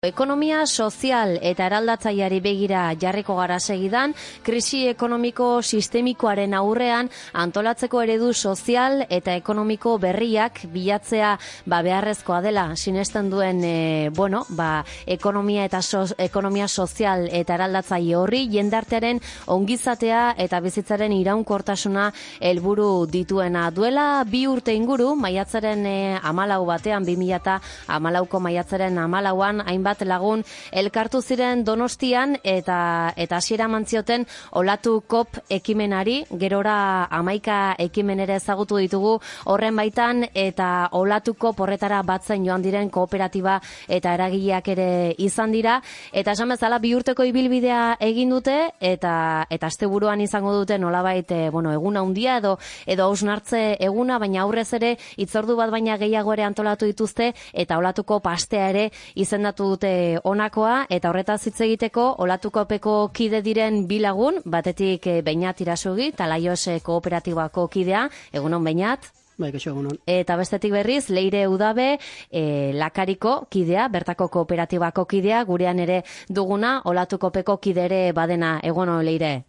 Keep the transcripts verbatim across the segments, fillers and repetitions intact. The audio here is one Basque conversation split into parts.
Ekonomia sozial eta eraldatzaileari begira jarriko gara segidan, krisi ekonomiko sistemikoaren aurrean antolatzeko eredu sozial eta ekonomiko berriak bilatzea ba beharrezkoa dela sinesten duen e, bueno, ba, ekonomia eta so, ekonomia sozial eta eraldatzaile horri jendartearen ongizatea eta bizitzaren iraunkortasuna helburu dituena duela bi urte inguru maiatzaren e, hamalau batean bi mila hamalauko maiatzaren hamalauan hainbat lagun elkartu ziren Donostian eta eta hasiera mantzioten olatu kop ekimenari, gerora hamaika ekimen ere ezagutu ditugu horren baitan eta olatuko porretara batzen joan diren kooperatiba eta eragileak ere izan dira eta esan bezala bi urteko ibilbidea egin dute eta eta asteburuan izango dute nolabait e, bueno, egun handia edo edo hausnartze eguna, baina aurrez ere hitzordu bat baina gehiago ere antolatu dituzte eta olatuko pastea ere izendatu dute honakoa eta horretaz hitz egiteko olatukopeko kide diren bi lagun, batetik Beñat Irasugi, Talaios kooperatibako kidea, egunon Beñat. Bai, kaixo, egunon. Eta bestetik berriz, Leire Udabe, e, Lakariko kidea, bertako kooperatibako kidea, gurean ere duguna, olatukopeko kidere badena, egunon Leire.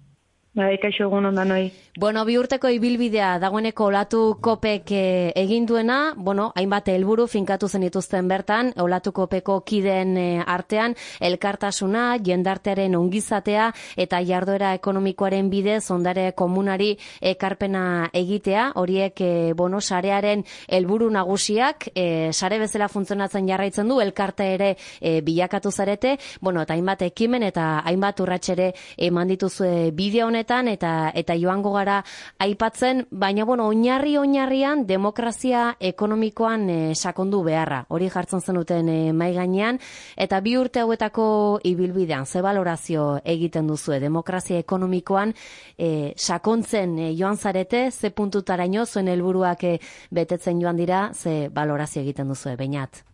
Bai, kaixo egun ondan noi. Bueno, bi urteko ibilbidea dagoeneko olatu kopek e, egin duena, bueno, hainbat helburu finkatu zen dituzten bertan, olatu kopeko kideen e, artean, elkartasuna, jendartearen ongizatea eta jarduera ekonomikoaren bidez ondare komunari ekarpena egitea, horiek, e, bueno, sarearen helburu nagusiak, e, sare bezala funtzionatzen jarraitzen du, elkarte ere e, bilakatu zarete, bueno, eta hainbat ekimen eta hainbat urratsere eman dituzue bideo honetan, eta eta joango gara aipatzen, baina bueno, oinarri oinarrian demokrazia ekonomikoan e, sakondu beharra. Hori jartzen zenuten e, mai gainean eta bi urte hauetako ibilbidean ze balorazio egiten duzue demokrazia ekonomikoan e, sakontzen e, joan zarete, ze puntutaraino zuen helburuak e, betetzen joan dira, ze balorazio egiten duzue Beñat.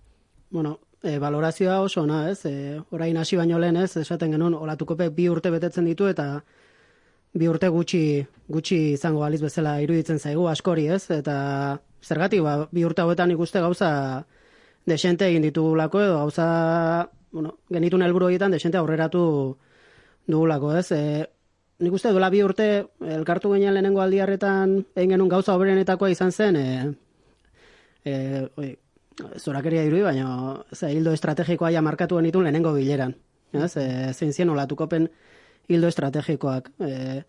Bueno, e, balorazioa oso ona, ez? E, orain hasi baino lehen, ez? Esaten genuen olatukope bi urte betetzen ditu eta bi urte gutxi gutxi izango baliz bezala iruditzen zaigu askori, ez? Eta zergatik, ba, bi urte hauetan ikuste gauza desente egin ditugulako edo gauza, bueno, genitun helburu horietan desente aurreratu dugulako, ez? E, nik uste duela bi urte elkartu ginen lehenengo aldiarretan egin genuen gauza hoberenetakoa izan zen, e, e, oi, zorakeria irudi, baina ze, hildo estrategikoa ja markatu genitun lehenengo bileran, ez? E, zein zien olatukopen hildo estrategikoak, e,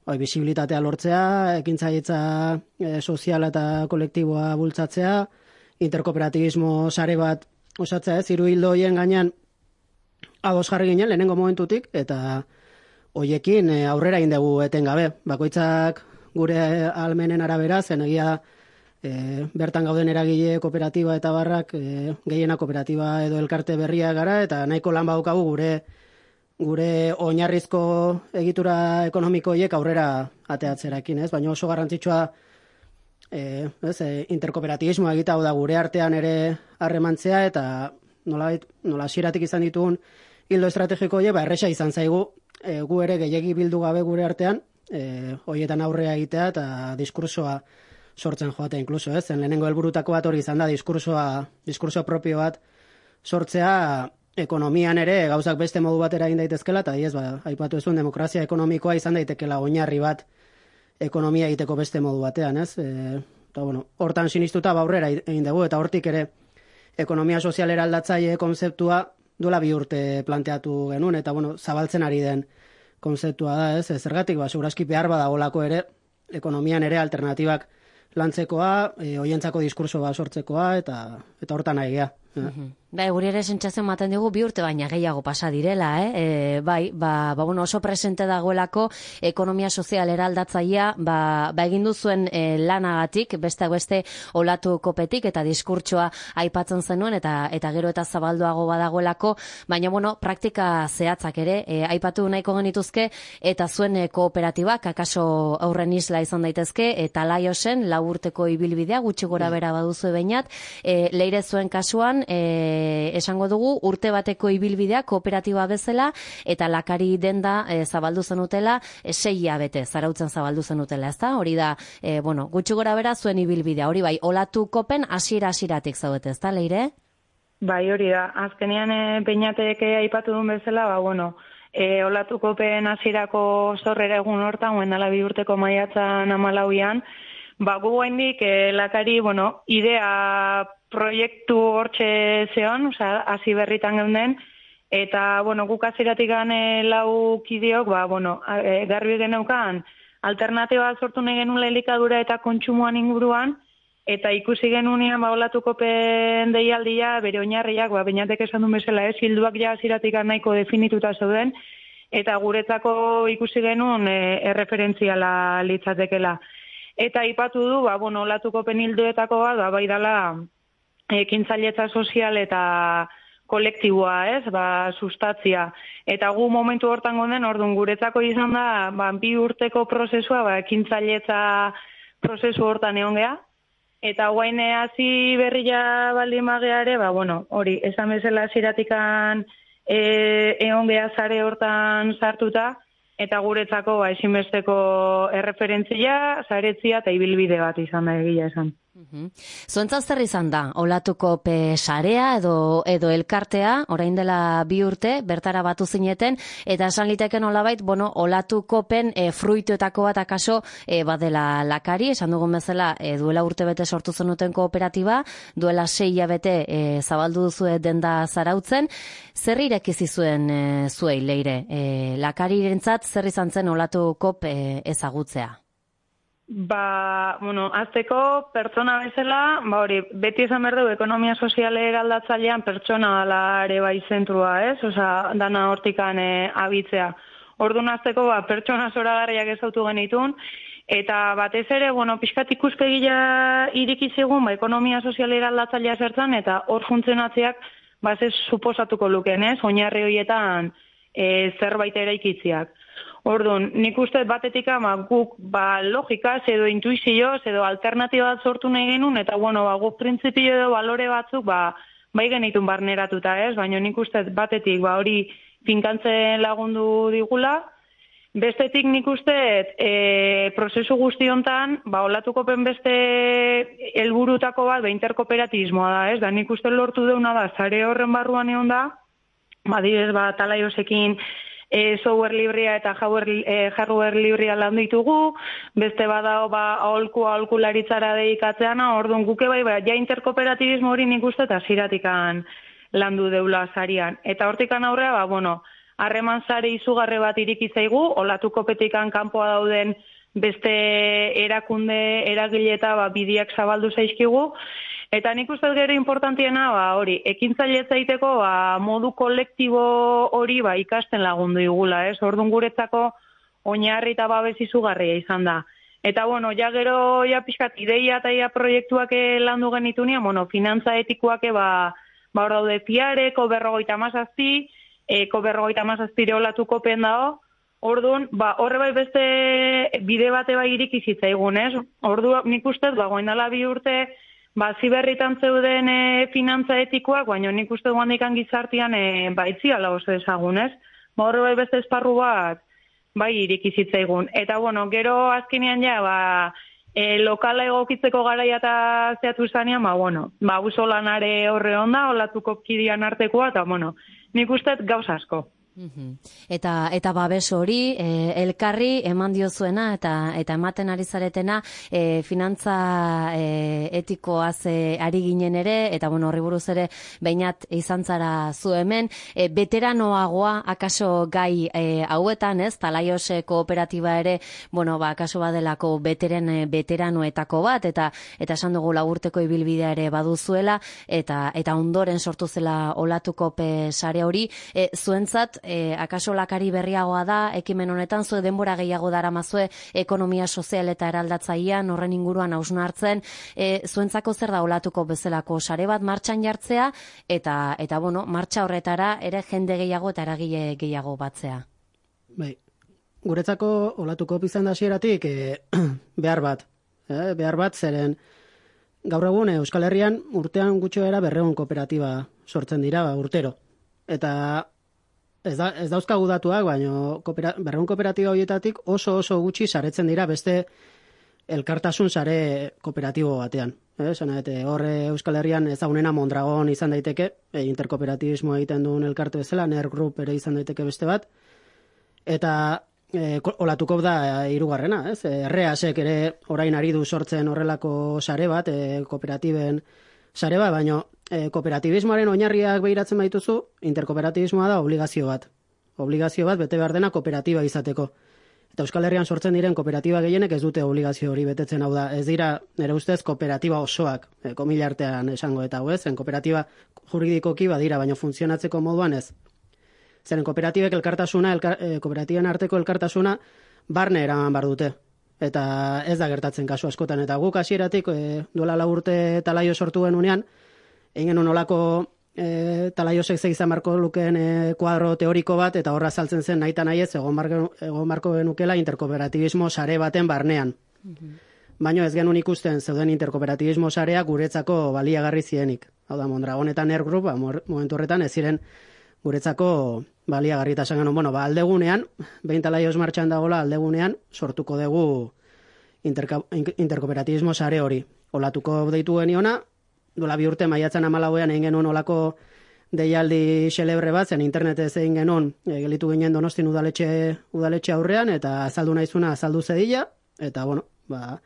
oi, bisibilitatea lortzea, ekintzaitza e, soziala eta kolektiboa bultzatzea, interkooperatibismo sare bat osatzea, ez, hiru hildo hoien gainean ados jarri ginen lehenengo momentutik, eta hoiekin e, aurrera indegu etengabe. Bakoitzak gure ahalmenen arabera, zen egia e, bertan gauden eragile kooperatiba eta barrak, e, gehiena kooperatiba edo elkarte berria gara, eta nahiko lan badaukagu gure gure oinarrizko egitura ekonomiko horiek aurrera ateatzerakin, ez? Baina oso garrantzitsua e, ez, e, interkooperatibismoa egita, hau da gure artean ere harremantzea eta nola, nola hasieratik izan ditugun hildo estrategiko horiek, ba, erresa izan zaigu e, gu ere gehiegi bildu gabe gure artean, e, horietan aurrea egitea eta diskursoa sortzen joatea inkluso, ez? Zen lehenengo helburutako bat hori izan da diskursoa, diskurso propio bat sortzea ekonomian ere gauzak beste modu batera egin daitezkela, eta ez, ba, aipatu ezun demokrazia ekonomikoa izan daitekela oinarri bat ekonomia egiteko beste modu batean, ez? E, eta, bueno, hortan sinistuta baurrera egin dugu, eta hortik ere ekonomia sozialera aldatzaile konzeptua duela bi urte planteatu genuen, eta, bueno, zabaltzen ari den konzeptua da, ez? Zergatik, ba, segurazki behar badagolako ere, ekonomian ere alternatibak lantzekoa, e, hoientzako diskurso bat sortzekoa, eta, eta hortan nahi gea. Mm-hmm. Bai, guri ere sentsazio ematen digu bi urte baina gehiago pasa direla, eh? E, bai, ba, ba, bueno, oso presente dagoelako ekonomia sozial eraldatzailea, ba, ba egin duzuen e, lanagatik, beste beste olatu kopetik eta diskurtsoa aipatzen zenuen eta eta gero eta zabalduago badagoelako, baina bueno, praktika zehatzak ere e, aipatu nahiko genituzke eta zuen e, kooperatibak akaso aurren isla izan daitezke eta Laiosen lau urteko ibilbidea gutxi gora bera baduzu Beñat, e, Leire zuen kasuan e, esango dugu urte bateko ibilbidea kooperatiba bezala eta Lakari denda e, zabaldu zenutela e, sei hilabete zarautzen zabaldu zenutela, ezta? Hori da, e, bueno, gutxi gora bera zuen ibilbidea, hori bai, olatu kopen hasiera hasieratik zaudete, ezta, Leire? Bai, hori da. Azkenean e, Beñatek aipatu duen bezala, ba, bueno, e, olatukopen hasierako zorrera egun hortan, guen dala bi urteko maiatzan hamalauian, ba, gu gaindik e, lakari, bueno, idea proiektu hortxe zeon, oza, hasi berritan geunden, eta, bueno, guk hasieratik gane lau kideok, ba, bueno, e, garbi geneukan, alternatiba sortu nahi genuen elikadura eta kontsumoan inguruan, eta ikusi genunean ba olatukopen deialdia bere oinarriak ba Beñatek esan duen bezala, ez, hilduak ja hasieratik nahiko definituta zeuden eta guretzako ikusi genuen e, erreferentziala litzatekela. Eta aipatu du ba bueno, olatukopen hilduetako bat ba bai dela ekintzailetza sozial eta kolektiboa, ez, ba sustatzia. Eta gu momentu hortan gonden, ordun guretzako izan da ba bi urteko prozesua, ba ekintzailetza prozesu hortan egon gea. Eta guain hasi berria baldin mageare, ba, bueno, hori, esan bezala hasieratik-an e, egon geha zare hortan sartuta, eta guretzako ba, ezinbesteko erreferentzia, zaretzia eta ibilbide bat izan da egia esan. Uhum. Zuentzat zer izan da, olatukope sarea edo, edo elkartea, orain dela bi urte, bertara batu zineten, eta esan liteken olabait, bueno, olatukopen e, fruituetako bat akaso e, badela lakari, esan dugun bezala, e, duela urte bete sortu zenuten kooperatiba, duela sei hilabete e, zabaldu duzue denda zarautzen, zer irekizi zuen e, zuei leire? E, lakarirentzat zer izan zen olatukop e, ezagutzea? Ba, bueno, azteko pertsona bezala, ba hori, beti esan behar dugu ekonomia soziale eraldatzailean pertsona dela ere bai zentrua, ez? Osa, dana hortikan e, abitzea. Orduan azteko, ba, pertsona zoragarriak ezautu genitun, eta batez ere, bueno, pixkat ikuspegia irikizigun, ba, ekonomia soziale eraldatzailea zertzen, eta hor funtzionatzeak, ba, ez suposatuko luken, ez? Oinarri horietan e, zerbait eraikitziak. Orduan, nik uste batetik ama guk ba, logikaz edo intuizioz edo alternatiba bat sortu nahi genuen, eta bueno, ba, guk printzipio edo balore batzuk ba, bai genitun barneratuta, ez? Baina nik uste batetik ba, hori finkantzen lagundu digula, bestetik nik uste e, prozesu guzti hontan, ba, olatukopen beste helburutako bat, ba, interkooperativismoa da, ez? Da, nik uste lortu deuna da, zare horren barruan egon da, ba, direz, ba, talaiosekin, E, software librea eta hardware, e, hardware librea lan ditugu, beste badao ba, aholku aholkularitzara dedikatzeana, orduan guke bai, ba, ja interkooperatibismo hori nik uste eta ziratikan landu deula zarian. Eta hortikan aurrea, ba, bueno, harreman zare izugarri bat irikitzaigu, olatukopetikan kanpoa dauden beste erakunde eragile eta ba, bidiak zabaldu zaizkigu, eta nik uste gero importantiena, ba, hori, ekintzailetza egiteko ba, modu kolektibo hori ba, ikasten lagundu igula, ez? Orduan guretzako oinarri eta babes izugarria izan da. Eta, bueno, ja gero, ja pixkat, ideia eta ja proiektuak landu genitunia, bueno, finantza etikoak ba, ba hor daude piareko berrogeita mazazpi, eko berrogeita mazazpire olatuko pen dago, orduan, ba, horre bai beste bide bate bai irikizitza egun, ez? Orduan, nik uste, ba, goindala bi urte, ba, ziberritan zeuden e, finantza etikoak, baina nik uste duan dikan gizartian e, ba, itziala oso ezagun, ez? Ba, horre bai beste esparru bat, bai irikizitza egun. Eta, bueno, gero azkenean ja, ba, e, lokala egokitzeko garaia eta zeatu zanean, ba, bueno, ba, uso lanare horre onda, olatuko kidian artekoa, eta, bueno, nik uste gauza asko. Eta eta babes hori e, elkarri eman diozuena eta eta ematen ari zaretena e, finantza e, etikoaz e, ari ginen ere, eta bueno, horri buruz ere Beñat izan zara zu hemen, e, veteranoagoa akaso gai e, hauetan, ez? Talaios kooperatiba ere, bueno, ba akaso badelako beteren e, veteranoetako bat, eta eta esan dugu laburteko ibilbidea ere baduzuela, eta eta ondoren sortu zela olatukope sare hori, e, zuentzat E, akaso lakari berriagoa da, ekimen honetan zue denbora gehiago daramazue ekonomia sozial eta eraldatzailean horren inguruan hausnartzen, e, zuentzako zer da olatuko bezalako sare bat martxan jartzea, eta eta bueno, martxa horretara ere jende gehiago eta eragile gehiago batzea. Bai, guretzako olatuko izan da hasieratik e, behar bat, e, behar bat zeren gaur egun e, Euskal Herrian urtean gutxoera berrehun kooperatiba sortzen dira ba, urtero. Eta Ez, da, ez dauzkagu datuak, baina koopera, berrehun kooperatiba horietatik oso oso gutxi saretzen dira beste elkartasun sare kooperatibo batean. Esan eh? Hor Euskal Herrian ezagunena Mondragon izan daiteke, e, interkooperatibismo egiten duen elkarte bezala, Ner Group ere izan daiteke beste bat, eta e, olatuko da hirugarrena, ez? Erreasek ere orain ari du sortzen horrelako sare bat, e, kooperatiben sare bat, baina e, kooperatibismoaren oinarriak behiratzen baituzu, interkooperatibismoa da obligazio bat. Obligazio bat bete behar dena kooperatiba izateko. Eta Euskal Herrian sortzen diren kooperatiba gehienek ez dute obligazio hori betetzen, hau da. Ez dira, nire ustez, kooperatiba osoak, e, komila artean esango eta hau ez, zen kooperatiba juridikoki badira, baina funtzionatzeko moduan ez. Zeren kooperatibek elkartasuna, elkar, e, kooperatiben arteko elkartasuna barne eraman bar dute. Eta ez da gertatzen kasu askotan. Eta guk hasieratik e, duela lau urte Talaio sortu genunean, egin genuen olako e, Talaiosek ze izan marko lukeen e, kuadro teoriko bat, eta horra saltzen zen nahita nahiez, egon marko genukela interkooperatibismo sare baten barnean. Mm-hmm. Baina ez genuen ikusten zeuden interkooperatibismo sarea guretzako baliagarri zienik. Hau da, Mondragon eta Ner Group, ba, momentu horretan ez ziren guretzako baliagarri eta esan genuen, bueno, ba, aldegunean, behin Talaios martxan dagoela aldegunean, sortuko dugu interkooperatibismo sare hori. Olatuko deitu geniona, dola bi urte maiatzan hamalauean egin genuen olako deialdi xelebre bat, zen internetez egin genuen, e, gelitu ginen Donostin udaletxe, udaletxe aurrean, eta azaldu naizuna azaldu zedila, eta bueno, ba,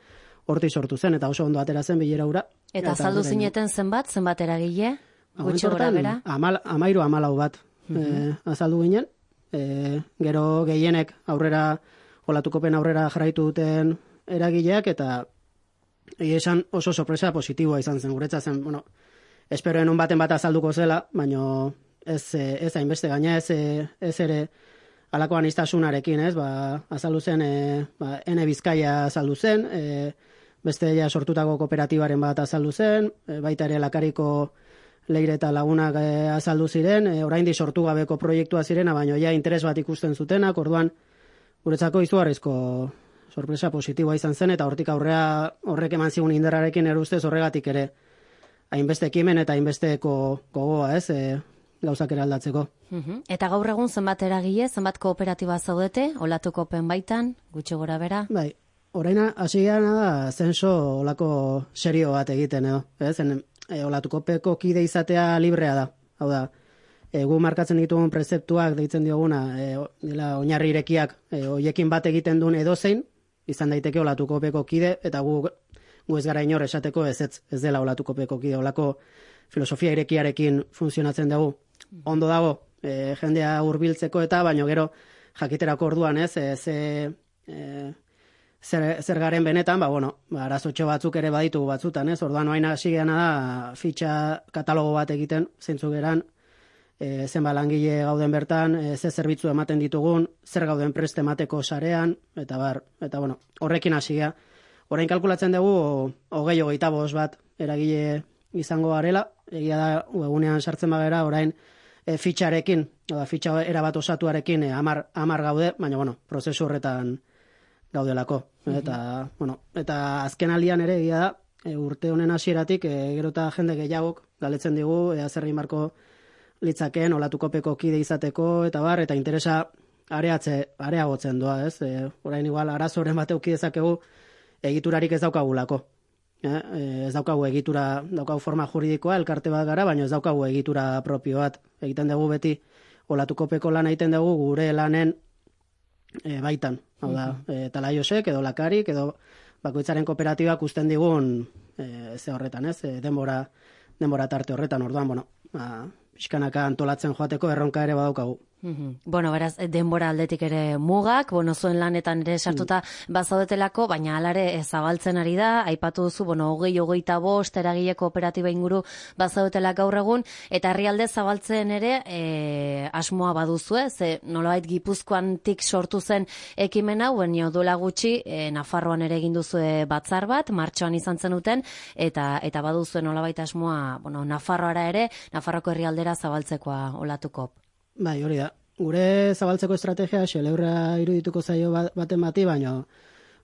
horti sortu zen, eta oso ondo atera zen bilera ura. Eta azaldu zineten zenbat, zenbat eragile? Gutxi gora bera? Amal, amairu amalau bat e, azaldu ginen, e, gero gehienek aurrera, olatukopen aurrera jarraitu duten eragileak, eta esan oso sorpresa positiboa izan zen, guretza zen, bueno, esperoen un baten bat azalduko zela, baino ez, ez hainbeste gaina, ez, ez ere alako anistasunarekin, ez, ba, azaldu zen, e, ba, Ene Bizkaia azaldu zen, e, beste ja sortutako kooperatibaren bat azaldu zen, e, baita ere Lakariko Leire eta lagunak e, azaldu ziren, e, oraindik sortu gabeko proiektua zirena, baino ja interes bat ikusten zutenak, orduan guretzako izugarrizko sorpresa positiboa izan zen, eta hortik aurrea horrek eman zigun indarrarekin erustez horregatik ere hainbeste ekimen eta hainbesteko gogoa, ez, e, gauzak eraldatzeko. Uh-huh. Eta gaur egun zenbat eragile, zenbat kooperatiba zaudete, olatukopen baitan, gutxi gora bera? Bai, oraina hasi gana da zenso olako serio bat egiten edo, ez, en, e, olatukopeko kide izatea librea da, hau da, e, gu markatzen ditugun prezeptuak deitzen dioguna, e, dela oinarri irekiak, e, oiekin bat egiten duen edozein, izan daiteke olatukopeko kide, eta gu, gu ez gara inor esateko ez, ez, ez dela olatukopeko kide, olako filosofia irekiarekin funtzionatzen dugu. Ondo dago, e, jendea hurbiltzeko eta, baino gero jakiterako orduan, ez, e, ze, e, zer, zer garen benetan, ba, bueno, ba, arazotxo batzuk ere baditugu batzutan, ez, orduan oain hasi geana da fitxa katalogo bat egiten, zeintzuk geran, e, zenba langile gauden bertan, e, ze zerbitzu ematen ditugun, zer gauden preste emateko sarean, eta bar, eta bueno, horrekin hasi gea. Orain kalkulatzen dugu, hogei hogeita bost bat eragile izango garela, egia da, egunean sartzen bagera, orain e, fitxarekin, oda, fitxa erabat osatuarekin e, amar, amar gaude, baina, bueno, prozesu horretan gaudelako. Mm-hmm. Eta, bueno, eta azken aldian ere, egia da, e, urte honen hasieratik, e, gero eta jende gehiagok galetzen digu, ea zerri marko litzakeen, olatukopeko kide izateko, eta bar, eta interesa areatze, areagotzen doa, ez? E, orain igual, arazoren bat euki dezakegu, egiturarik ez daukagulako. Eh? Ez daukagu egitura, daukagu forma juridikoa, elkarte bat gara, baina ez daukagu egitura propio bat. Egiten dugu beti, olatukopeko lan egiten dugu gure lanen e, baitan. Hau da, e, Talaiosek, edo Lakarik, edo bakoitzaren kooperatibak usten digun e, ze horretan, ez? E, denbora, denbora tarte horretan, orduan, bueno, ba, pixkanaka antolatzen joateko erronka ere badaukagu. Mm-hmm. Bueno, beraz, denbora aldetik ere mugak, bueno, zuen lanetan ere sartuta mm. bazaudetelako, baina alare zabaltzen ari da, aipatu duzu, bueno, hogei, hogeita bost, eragile kooperatiba inguru bazaudetela gaur egun, eta herrialde zabaltzen ere e, asmoa baduzue, ze nolabait Gipuzkoantik sortu zen ekimen hau, baina duela gutxi, e, Nafarroan ere egin duzue batzar bat, martxoan izan zenuten, eta eta baduzue nolabait asmoa, bueno, Nafarroara ere, Nafarroko herrialdera zabaltzekoa olatuko. Bai, hori da. Gure zabaltzeko estrategia xeleurra irudituko zaio baten bati, baina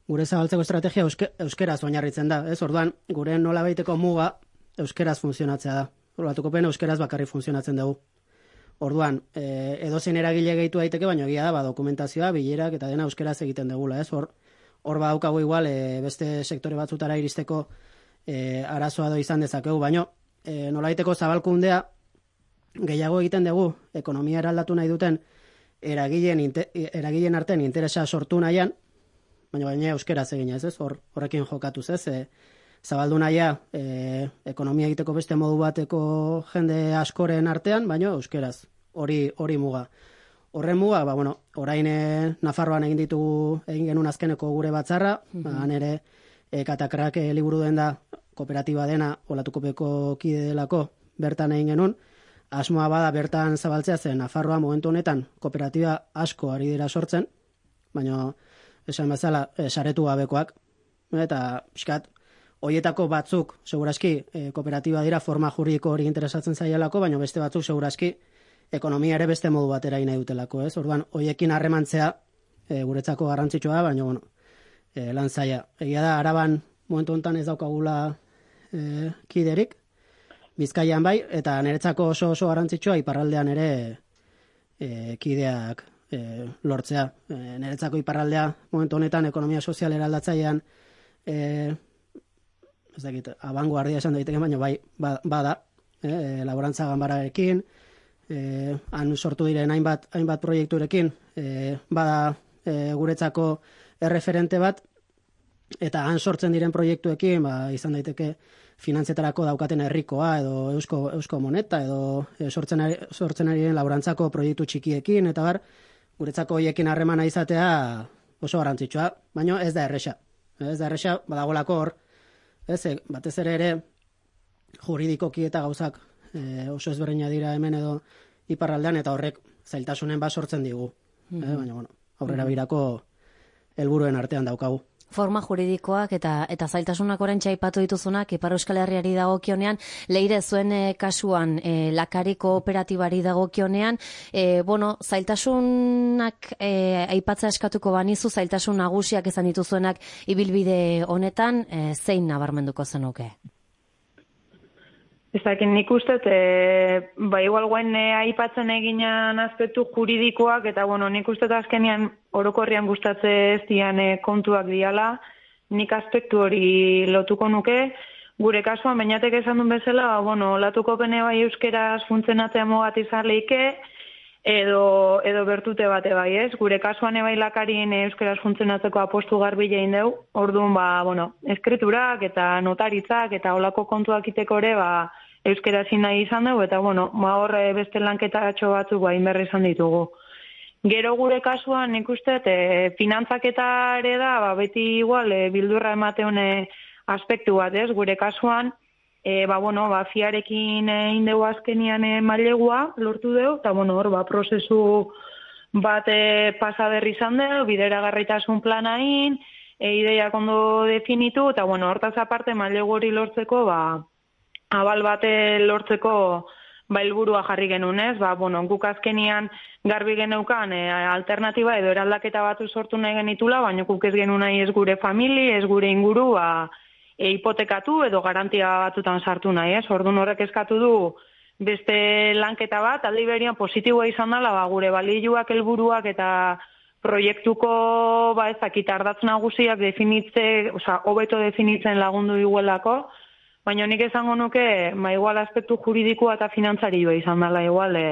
gure zabaltzeko estrategia euske, euskeraz oinarritzen da. Ez, orduan, gure nolabaiteko muga euskeraz funtzionatzea da. Olatukopen euskeraz bakarri funtzionatzen dugu. Orduan, e, edozein eragile gehitu daiteke, baina egia da, ba, dokumentazioa, bilerak eta dena euskeraz egiten dugula. Ez, hor, hor badaukagu igual e, beste sektore batzutara iristeko e, arazoa do izan dezakegu, baino e, nolaiteko zabalkundea gehiago egiten dugu ekonomia eraldatu nahi duten eragileen, eragileen artean interesa sortu nahian, baina baina euskeraz egin ez, ez? Hor, horrekin jokatuz ez, e, zabaldu nahia e, ekonomia egiteko beste modu bateko jende askoren artean, baina euskeraz, hori hori muga. Horren muga, ba, bueno, orain e, Nafarroan egin ditugu, egin genuen azkeneko gure batzarra, mm-hmm. ba, nere e, Katakrak e, liburu den da, kooperatiba dena, Olatukopeko kide delako, bertan egin genuen, asmoa bada bertan zabaltzea zen Nafarroa momentu honetan kooperatiba asko ari dira sortzen, baina esan bezala e, saretu gabekoak, eta pixkat, hoietako batzuk, seguraski, e, kooperatiba dira forma juridiko hori interesatzen zaielako, baina beste batzuk seguraski ekonomia ere beste modu batera nahi dutelako, ez? Orduan, hoiekin harremantzea e, guretzako garrantzitsua da, baina bueno, e, lan zaila. Egia da, Araban momentu honetan ez daukagula e, kiderik, Bizkaian bai, eta niretzako oso oso garrantzitsua iparraldean ere e, kideak e, lortzea. E, niretzako iparraldea momentu honetan ekonomia sozial eraldatzailean e, ez dakit, abanguardia esan daiteke, baina bai, bada, e, laborantza ganbararekin, e, han sortu diren hainbat, hainbat proiekturekin, e, bada e, guretzako erreferente bat, eta han sortzen diren proiektuekin, ba, izan daiteke finantzetarako daukaten herrikoa, edo eusko, eusko moneta, edo e, sortzen, ari, sortzen ari diren laborantzako proiektu txikiekin, eta bar, guretzako hoiekin harremana izatea oso garrantzitsua, baina ez da erresa. Ez da erresa, badagolako hor, ez, batez ere ere juridikoki eta gauzak e, oso ezberdina dira hemen edo iparraldean, eta horrek zailtasunen bat sortzen digu. Mm-hmm. E, baina, bueno, aurrera birako helburuen artean daukagu. Forma juridikoak eta eta zailtasunak oraintxe aipatu dituzunak Ipar Euskal Herriari dagokionean, Leire zuen e, kasuan e, Lakari kooperatibari dagokionean, e, bueno, zailtasunak e, aipatzea eskatuko banizu, zailtasun nagusiak izan dituzuenak ibilbide honetan, e, zein nabarmenduko zenuke? Ezakin nik uste, e, ba igual guen e, aipatzen eginan aspektu juridikoak, eta bueno, nik uste azkenian orokorrian gustatze ez dian e, kontuak diala, nik aspektu hori lotuko nuke, gure kasuan, bainatek esan duen bezala, ba, bueno, latuko pene bai euskeraz funtzionatzea mogat izan leike, edo, edo bertute bate bai, ez? Gure kasuan ebai Lakarien euskeraz funtzionatzeko apostu garbi egin deu, orduan, ba, bueno, eskriturak eta notaritzak eta olako kontuak iteko ere, ba, euskarazin nahi izan dugu, eta bueno, ma horre beste lanketatxo batzuk bain berri izan ditugu. Gero gure kasuan nik uste, e, finantzaketa ere da, ba, beti igual, e, bildurra emateun aspektu bat, ez? Gure kasuan, e, ba, bueno, ba, fiarekin egin dugu azkenian e, mailegua lortu dugu, eta bueno, hor, ba, prozesu bat e, pasa berri izan dugu, bideragarritasun planain, e, ideiak ondo definitu, eta bueno, hortaz aparte mailegu hori lortzeko, ba, abal bate lortzeko ba helburua jarri genuen, ez? Ba, bueno, guk azkenian garbi geneukan e, alternativa edo eraldaketa batu sortu nahi genitula, baina guk ez genuen nahi ez gure famili, ez gure inguru, ba, e, hipotekatu edo garantia batutan sartu nahi, ez? Orduan horrek eskatu du beste lanketa bat, aldi berian positiboa izan dela, ba, gure balioak, helburuak eta proiektuko, ba, ez dakit ardatz nagusiak definitze, osea, hobeto definitzen lagundu iguelako, baina nik esango nuke, ma igual aspektu juridikoa eta finantzarioa izan dela igual e,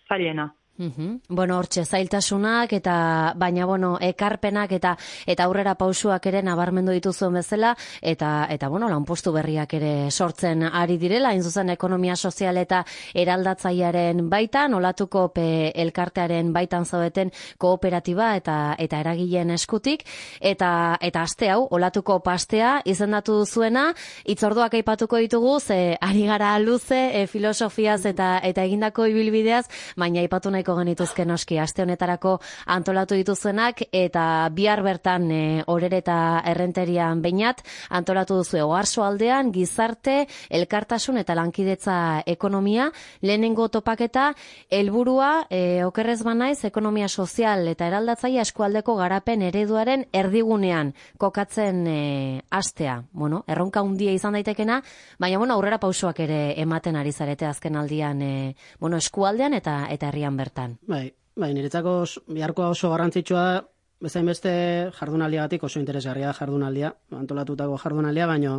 zailena. Uhum. Bueno, hortxe zailtasunak eta baina bueno, ekarpenak eta eta aurrera pausuak ere nabarmendu dituzuen bezala eta eta bueno, lanpostu berriak ere sortzen ari direla, hain zuzen ekonomia sozial eta eraldatzailearen baitan, olatuko pe elkartearen baitan zaudeten kooperatiba eta eta eragileen eskutik eta eta aste hau olatuko pastea izendatu duzuena, hitzorduak aipatuko ditugu ze ari gara luze e, filosofiaz eta eta egindako ibilbideaz, baina aipatu nahi genituzke noski aste honetarako antolatu dituzuenak eta bihar bertan e, orere eta errenterian beinat antolatu duzu Oarso aldean gizarte, elkartasun eta lankidetza ekonomia, lehenengo topaketa helburua e, okerrez banaiz ekonomia sozial eta eraldatzaile eskualdeko garapen ereduaren erdigunean kokatzen e, astea. Bueno, erronka handia izan daitekena, baina bueno, aurrera pausoak ere ematen ari zarete azken aldian e, bueno, eskualdean eta eta herrian bertan. Bai, bai, niretzako biharkoa oso garrantzitsua da, bezain beste jardunaldiagatik oso interesgarria da jardunaldia, antolatutako jardunaldia, baino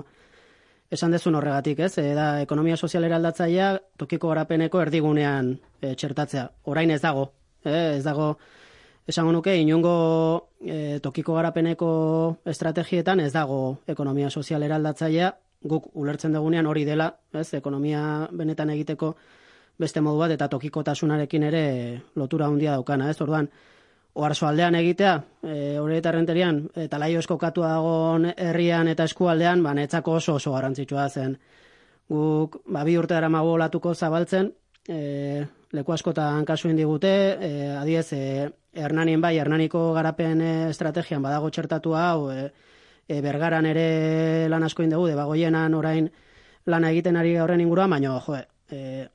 esan dezun horregatik, ez? E, da, ekonomia sozialera aldatzailea tokiko garapeneko erdigunean e, txertatzea. Orain ez dago, e, ez dago, esango nuke, inungo e, tokiko garapeneko estrategietan ez dago ekonomia sozialera aldatzailea, guk ulertzen dugunean hori dela, ez? Ekonomia benetan egiteko beste modu bat eta tokikotasunarekin ere lotura handia daukana, ez? Orduan, Oarsoaldean egitea, e, hori eta renterian, eta laio eskokatua dagoen herrian eta eskualdean, ba, netzako oso oso garrantzitsua zen. Guk, ba, bi urte dara mago olatuko zabaltzen, e, leku askotan kasu indigute, e, adiez, e, Hernanin bai, Hernaniko garapen estrategian badago txertatua hau, e, e, Bergaran ere lan asko indegu, debagoienan orain lana egiten ari horren inguruan, baina, jo, e,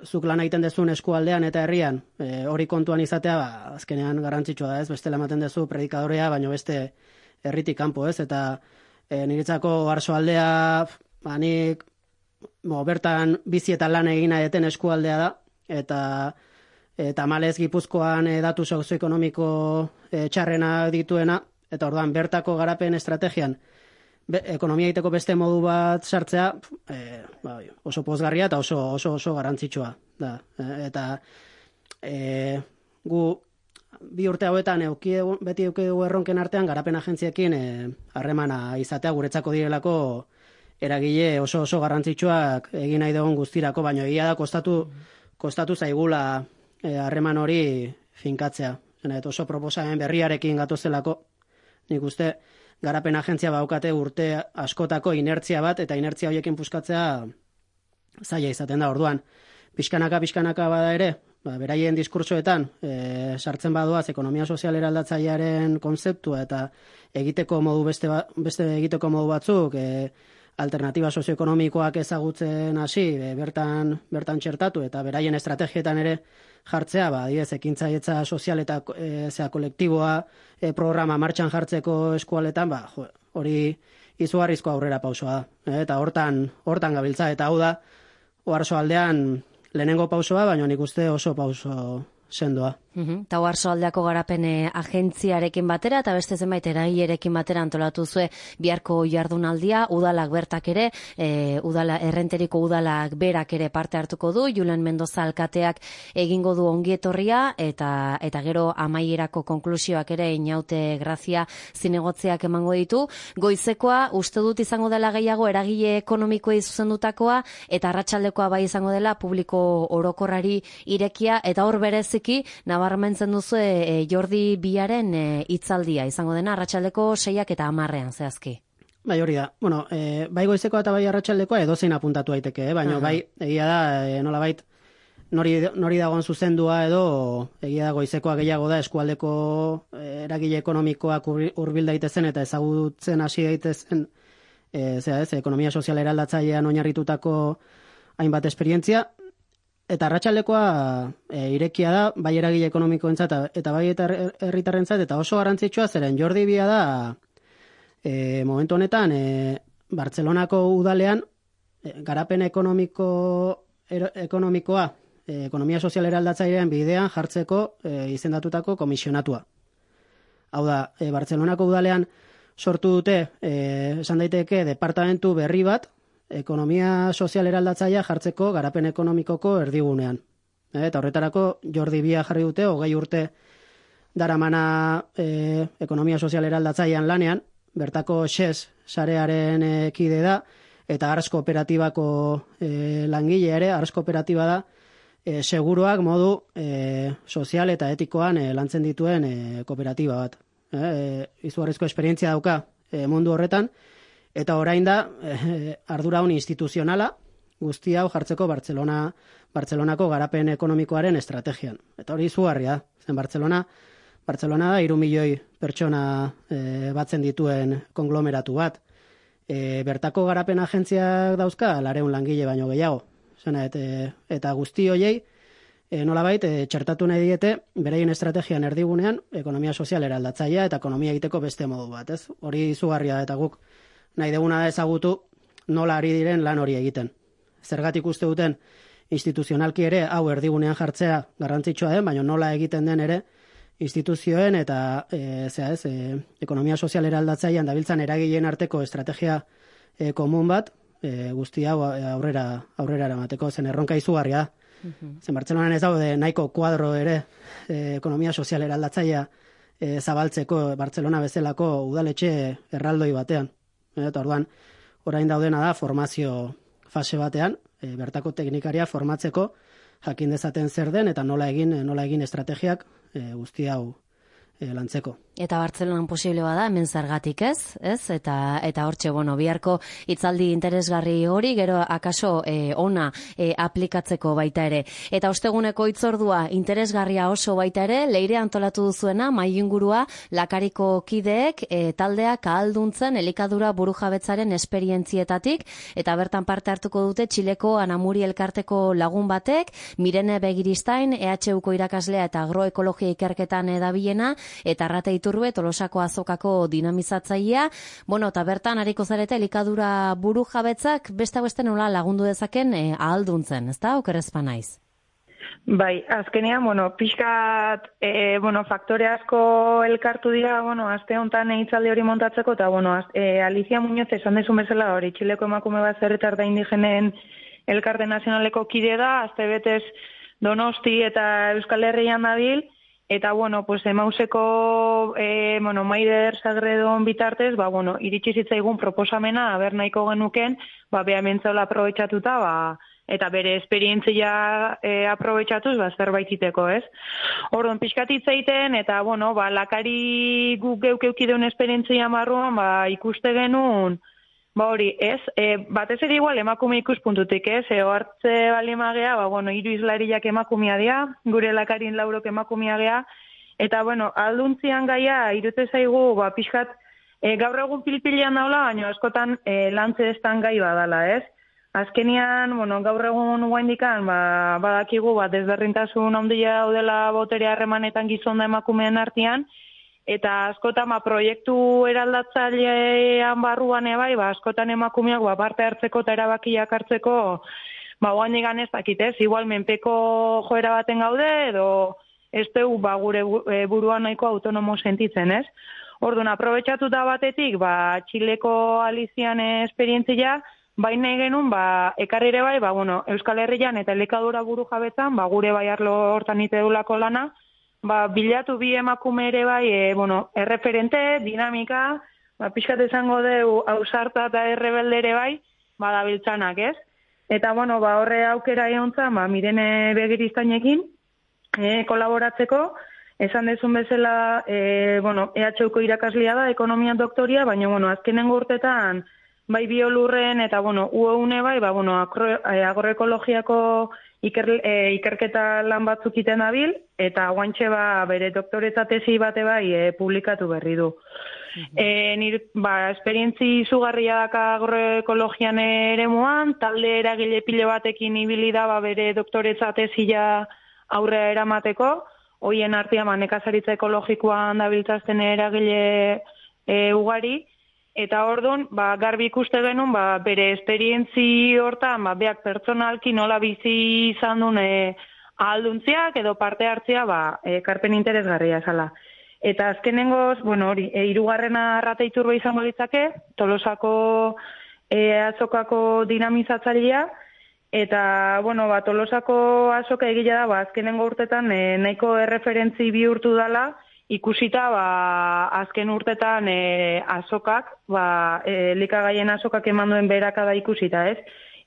zuk lan egiten dezun eskualdean eta herrian, e, hori kontuan izatea, ba, azkenean garrantzitsua da, ez? Bestela ematen dezu predikadorea, baino beste herritik kanpo, ez? Eta e, niretzako Oarsoaldea, ba, nik bo, bertan bizi eta lan egina eten eskualdea da, eta eta malez Gipuzkoan e, datu sozioekonomiko e, txarrenak dituena, eta orduan bertako garapen estrategian Be, ekonomia egiteko beste modu bat sartzea e, ba, oso pozgarria eta oso oso oso garrantzitsua da. E, eta e, gu bi urte hauetan euki beti euki dugu erronken artean garapen agentziekin harremana e, izatea guretzako direlako eragile oso oso garrantzitsuak egin nahi dugun guztirako, baina egia da kostatu kostatu zaigula harreman e, hori finkatzea. Eta oso proposamen berriarekin gatozelako nik uste garapen agentzia baukate urte askotako inertzia bat, eta inertzia horiekin puskatzea zaila izaten da. Orduan, pixkanaka, pixkanaka bada ere, ba, beraien diskursoetan, e, sartzen badoaz ekonomia sozialera aldatzailearen konzeptua eta egiteko modu beste, ba, beste egiteko modu batzuk, e, alternatiba sozioekonomikoak ezagutzen hasi, e, bertan, bertan txertatu, eta beraien estrategietan ere jartzea, ba, diez, ekintzailetza sozial eta e, zea kolektiboa e, programa martxan jartzeko eskualetan, ba, jo, hori izugarrizko aurrera pausoa da. E, eta hortan, hortan gabiltza, eta hau da, Oarsoaldean lehenengo pausoa, baina nik uste oso pauso sendoa. Uhum. Ta Oarsoaldeako garapen agentziarekin batera eta beste zenbait eragilerekin batera antolatu zue biharko jardunaldia, udalak bertak ere, e, udala, errenteriko udalak berak ere parte hartuko du, Julen Mendoza alkateak egingo du ongietorria, eta eta gero amaierako konklusioak ere Inaute Grazia zinegotziak emango ditu. Goizekoa uste dut izango dela gehiago eragile ekonomikoei zuzendutakoa, eta arratsaldekoa bai izango dela publiko orokorrari irekia, eta hor bereziki nabarmentzen duzu e, Jordi Biaren hitzaldia e, izango dena arratsaldeko seiak eta hamarrean zehazki. Bai, hori da. Bueno, e, bai goizekoa eta bai arratsaldekoa edozein apuntatu daiteke, eh? Baina uh-huh. bai egia da e, nolabait nori nori dagoen zuzendua edo egia da goizekoa gehiago da eskualdeko e, eragile ekonomikoak hurbil daitezen eta ezagutzen hasi daitezen e, zera ez, ekonomia sozial eraldatzailean oinarritutako hainbat esperientzia. Eta arratsaldekoa e, irekia da, bai eragile ekonomikoentzat eta bai eta herritarrentzat, eta oso garrantzitsua zeren Jordi Bia da e, momentu honetan e, Bartzelonako udalean e, garapen ekonomiko er, ekonomikoa e, ekonomia sozial eraldatzailean bidean jartzeko e, izendatutako komisionatua. Hau da, e, Bartzelonako udalean sortu dute e, esan daiteke departamentu berri bat ekonomia sozial eraldatzailea jartzeko garapen ekonomikoko erdigunean. E, eta horretarako Jordi Bia jarri dute, hogei urte daramana e, ekonomia sozial eraldatzailean lanean, bertako xez sarearen e, kide da, eta Ars Kooperatibako e, langile ere, Ars Kooperatiba da, e, seguruak modu e, sozial eta etikoan e, lantzen dituen e, kooperatiba bat. E, e, izugarrizko esperientzia dauka e, mundu horretan, eta orain da eh, ardura honi instituzionala guzti hau jartzeko Bartzelona, Bartzelonako garapen ekonomikoaren estrategian. Eta hori izugarria, zen Bartzelona, Bartzelona da hiru milioi pertsona eh, batzen dituen konglomeratu bat. E, bertako garapen agentziak dauzka, lareun langile baino gehiago. Zena, et, e, eta guzti hoiei, e, nolabait, e, txertatu nahi diete, bereien estrategian erdigunean, ekonomia sozial eraldatzailea eta ekonomia egiteko beste modu bat. Ez? Hori izugarria da, eta guk nahi deguna da ezagutu nola ari diren lan hori egiten. Zergatik uste duten instituzionalki ere hau erdigunean jartzea garrantzitsua den, baina nola egiten den ere instituzioen eta e, zera ez, e, ekonomia sozialera aldatzailean dabiltzan eragileen arteko estrategia e, komun bat, e, guzti hau aurrera aurrera eramateko, zen erronka izugarria. Uh-huh. Zen Bartzelonan ez daude nahiko kuadro ere e, ekonomia sozialera aldatzailea e, zabaltzeko Bartzelona bezalako udaletxe erraldoi batean. Eta orduan, orain daudena da formazio fase batean, e, bertako teknikaria formatzeko jakin dezaten zer den eta nola egin nola egin estrategiak e, guzti hau e, lantzeko. Eta Bartzelonan posible bada, hemen zergatik ez, ez? Eta eta hortxe, bueno, biharko hitzaldi interesgarri hori, gero akaso e, ona e, aplikatzeko baita ere. Eta osteguneko hitzordua interesgarria oso baita ere, Leire antolatu duzuena, mahai ingurua, Lakariko kideek e, taldeak ahalduntzen elikadura burujabetzaren esperientzietatik, eta bertan parte hartuko dute Txileko Anamuri elkarteko lagun batek, Mirene Begiristain, E H Uko irakaslea eta agroekologia ikerketan edabilena, eta Arrate Iturbe, Tolosako azokako dinamizatzailea, bueno, eta bertan hariko zarete elikadura buru jabetzak beste beste nola lagundu dezaken e, ahalduntzen, ezta? Okerrezpa naiz. Bai, azkenean, bueno, pixkat, e, bueno, faktore asko elkartu dira, bueno, aste honetan hitzaldi hori montatzeko, eta, bueno, az, e, Alicia Muñoz esan dezun bezala hori, Txileko emakume bat zerretar da indigenen elkarte nazionaleko kide da, azte betez Donosti eta Euskal Herrian dabil, eta, bueno, pues, emauseko, e, bueno, Maider Sagredon bitartez, ba, bueno, iritsi zitzaigun proposamena, aber nahiko genuken, ba, beha mentzaula aprobetxatuta, ba, eta bere esperientzia e, aprobetxatuz, ba, zerbait iteko, ez? Orduan, pixkat hitz egiten, eta, bueno, ba, Lakari guk geuk eukideun esperientzia marruan, ba, ikuste genuen, ba, hori, ez? E, batez ere igual emakume ikuspuntutik, ez? E, hartze balimagea, ba, bueno, hiru izlariak emakumea dira, gure Lakarin laurok emakumea gea, eta, bueno, alduntzian gaia, irute zaigu, ba, pixkat, e, gaur egun pilpilean daula, baina askotan e, lantze estan gai badala, ez? Azkenian, bueno, gaur egun guaindikan, ba, badakigu, ba, desberdintasun handia daudela botere harremanetan gizon da emakumeen artean, eta askotan ba, proiektu eraldatzailean barruan ebai, ba, askotan emakumeak ba, parte hartzeko eta erabakiak hartzeko, ba, guaindikan ez dakit ez, igual menpeko joera baten gaude, edo ez dugu ba, gure buruan nahiko autonomo sentitzen, ez? Orduan, aprobetxatuta batetik, ba, Txileko Alizian esperientzia, baina genuen, ba, ekarri ere bai, ba, bueno, Euskal Herrian eta elikadura buru jabetzan, ba, gure bai arlo hortan ite dulako lana, ba, bilatu bi emakume ere bai, e, bueno, erreferente, dinamika, ba, pixkat esango deu, ausarta eta errebelde ere bai, ba, dabiltzanak, ez? Eta, bueno, ba, horre aukera egontzan, ba, Mirene Begiristainekin, e, kolaboratzeko, esan dezun bezala, e, bueno, E H Uko irakaslea da, ekonomia doktoria, baina, bueno, azkenengo urtetan, bai biolurren eta, bueno, U E une bai, ba, bueno, agroekologiako iker, e, ikerketa lan batzuk iten dabil, eta guantxe ba, bere doktoretza tesi bate bai e, publikatu berri du. Uh-huh. E, nir, ba, esperientzi izugarria daka agroekologian eremuan, talde eragile pile batekin ibili da ba, bere doktoretza tesia aurrea eramateko, hoien artean ba, nekazaritza ekologikoan dabiltzazten eragile e, ugari, eta orduan, ba, garbi ikuste genuen, ba, bere esperientzi hortan, ba, beak pertsonalki nola bizi izan duen e, ahalduntziak edo parte hartzea, ba, e, karpen interesgarria esala. Eta azkenengoz, bueno, hori, e, irugarrena Arrate Iturbe izango litzake, Tolosako e, azokako dinamizatzailea, eta, bueno, ba, Tolosako azoka egila da, ba, azkenengo urtetan e, nahiko erreferentzi bihurtu dela, ikusita, ba, azken urtetan e, azokak, ba, e, likagaien azokak eman duen berakada ikusita, ez?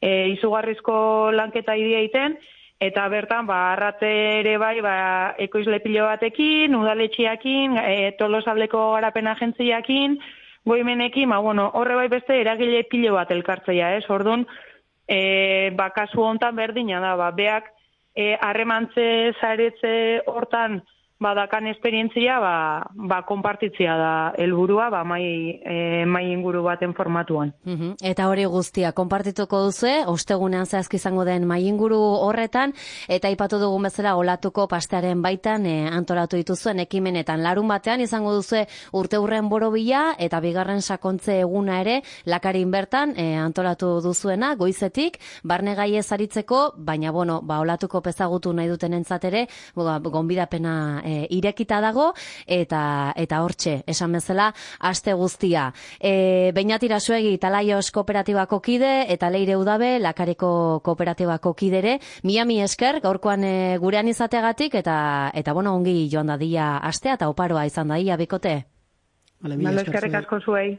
E, izugarrizko lanketa idea iten, eta bertan, ba, Arrate ere bai, ba, ekoizle pilo batekin, udaletxiakin, e, Tolosaldeko garapen agentziakin, goimenekin, ba, bueno, horre bai beste eragile pilo bat elkartzea, ez? Orduan, e, ba, kasu hontan berdina da, ba, beak, harremantze e, zaretze hortan, badakan esperientzia, ba, ba, konpartitzia da helburua, ba, mai, e, mai inguru baten formatuan. Uh-huh. Eta hori guztia, konpartituko duzue, ostegunean zehazki izango den mai inguru horretan, eta aipatu dugun bezala olatuko pastearen baitan e, antolatu dituzuen ekimenetan. Larun batean izango duzue urte hurren borobila, eta bigarren sakontze eguna ere, Lakarin bertan e, antolatu duzuena, goizetik, barne gaiez aritzeko, baina, bueno, ba, olatuko pezagutu nahi duten entzatere, gonbidapena e, e, irekita dago, eta eta hortxe, esan bezala, aste guztia. E, Beñat Irasuegi, Talaios kooperatibako kide, eta Leire Udabe, Lakareko kooperatibako kidere, Miami esker, gaurkoan e, gurean izateagatik, eta, eta bueno, ongi joan dadila astea, eta oparoa izan dadila, bikote. Vale, eskerrik asko zuei.